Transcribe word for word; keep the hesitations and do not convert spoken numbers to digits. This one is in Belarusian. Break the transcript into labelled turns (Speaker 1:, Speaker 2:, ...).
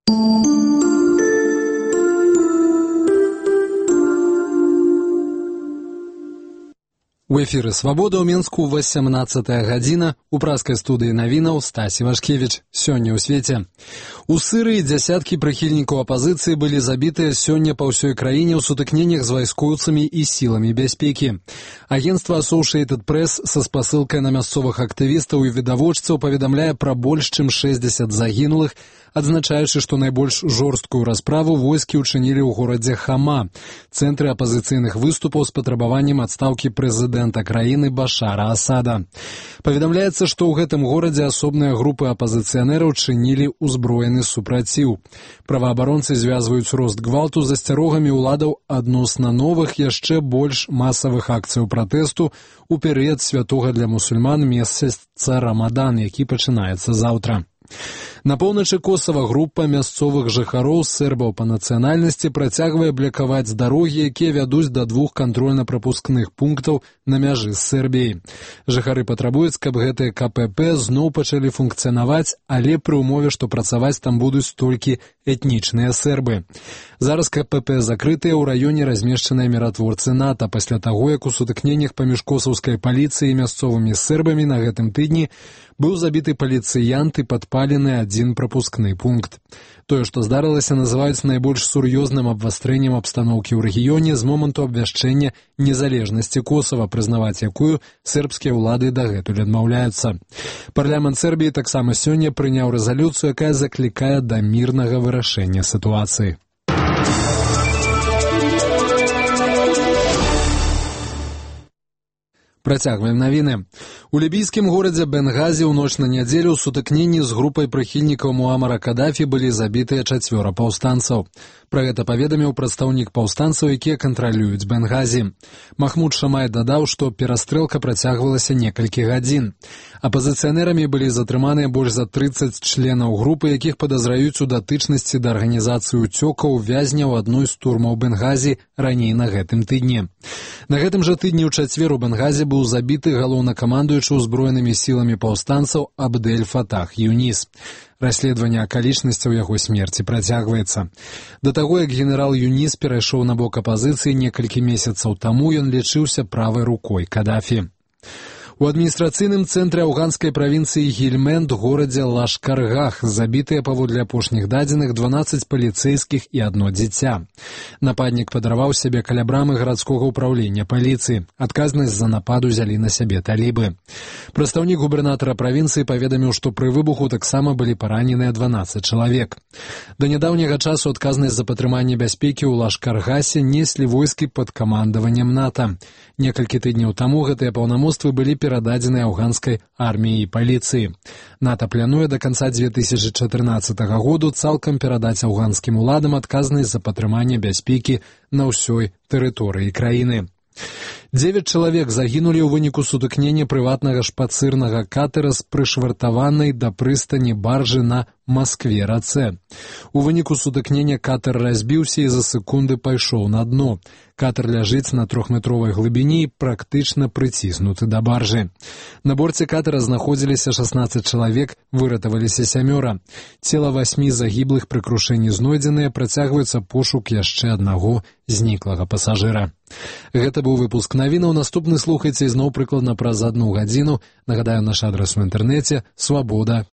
Speaker 1: У эфіры «Свабода» ў Мінску васямнаццатая гадзіна. У праскай студыі навінаў Стасі Вашкевіч. Сёння ў свеце. У Сырыі дзясяткі прыхільнікаў апазіцыі былі забітыя сёння па ўсёй краіне ў сутыкненнях з вайскоўцамі і сіламі бяспекі. Агенцтва Associated Press са спасылкай на мясцовых актывістаў і відавочцаў паведамляе пра больш чым шэсцьдзесят загінулых, адзначаючы, што найбольш жорсткую расправу войскі ўчынілі ў горадзе Хама, цэнтры апазіцыйных выступаў з патрабаваннем адстаўкі прэзідэнта краіны Башара Асада. Паведамляецца, што ў гэтым горадзе асобныя групы апазіцыянераў чынілі ўзброены супраціў. Праваабаронцы звязваюць рост гвалту з асцярогамі ўладаў адносна новых, яшчэ больш масавых акцыяў пратэсту ў перыяд святога для мусульман месяца Рамадан, які пачынаецца заўтра. На поўначы Косава група мясцовых жыхароў сербаў па нацыянальнасці працягвае блакаваць дарогі, якія вядуць да двух кантрольна-прапускных пунктаў на мяжы з Сербіяй. Жыхары патрабуюць, каб гэтыя ка пэ пэ зноў пачалі функцыянаваць, але пры ўмове, што працаваць там будуць толькі этнічныя сербы. Зараз ка пэ пэ закрытыя, ў раёне размешчаныя міратворцы НАТО, пасля таго, як у сутыкненнях паміж косаўскай паліцыяй і мясцовымі сербамі на гэтым тыдні быў забіты паліцыянт і падпалены адзін прапускны пункт. Тое, што здарылася, называюць найбольш сур'ёзным абвастрэннем абстаноўкі ў рэгіёне з моманту абвяшчэння незалежнасці Косава, прызнаваць якую сербскія ўлады дагэтуль адмаўляюцца. Парламент Сербіі таксама сёння прыняў рэзалюцыю, якая заклікае да мірнага вырашэння сітуацыі. Працягваем навіны. У лібійскім горадзе Бенгазі ў ноч на нядзелю ў сутыкненні з групай прыхільнікаў Муамара Кадафі былі забітыя чацвёра паўстанцаў. Пра гэта паведаміў прадстаўнік паўстанцаў, якія кантралююць Бенгазі. Махмуд Шамай дадаў, што перастрэлка працягвалася некалькі гадзін. Апазіцыянерамі былі затрыманыя больш за трыццаць членаў групы, якіх падазраюць у датычнасці да арганізацыі ўцёкаў вязняў адной з турмаў Бенгазі раней на гэтым тыдні. На гэтым жа тыдні ў чацвер у Бенгазі быў забіты галоўнакамандуючы ўзброенымі сіламі паўстанцаў Абдель Фатах Юніс. Расследаванне акалічнасцяў яго смерці працягваецца. Да таго, як генерал Юніс перайшоў на бок апазіцыі некалькі месяцаў таму, ён лічыўся правай рукой Кадафі. У адміністрацыйным цэнтры афганскай правінцыі Гельмэнд, горадзе Лашкаргах, забітыя паводле апошніх дадзеных дванаццаць паліцэйскіх і адно дзіця. Нападнік падарваў сябе каля брамы гарадскога ўпраўлення паліцыі. Адказнасць за напад узялі на сябе талібы. Прадстаўнік губернатара правінцыі паведаміў, што пры выбуху таксама былі параненыя дванаццаць чалавек. Да нядаўняга часу адказнасць за падтрыманне бяспекі ў Лашкаргасе неслі войскі пад камандаваннем НАТО. Некалькі тыдняў таму гэтыя паўнамоцтвы былі перададзены афганскай арміі і паліцыі. НАТО плануе да канца дзве тысячы чатырнаццатага году цалкам перадаць афганскім уладам адказнасць за падтрыманне бяспекі на ўсёй тэрыторыі краіны. Дзевяць чалавек загінулі ў выніку сутыкнення прыватнага шпацырнага катера з прышвартаванай да прыстані баржы на Маскве-рацэ. У выніку сутыкнення катер разбіўся і за секунды пайшоў на дно. Катер ляжыць на трохметровай глыбіні і практычна прыціснуты да баржы. На борце катера знаходзіліся шаснаццаць чалавек, выратаваліся сямёра. Цела васьмі загіблых пры крушэнні знойдзеныя, працягваецца пошук яшчэ аднаго зніклага пасажыра. Гэта быў выпуск навінаў. Наступны слухайце ізноў прыкладна праз адну гадзіну. Нагадаю, наш адрас у інтэрнэце свабода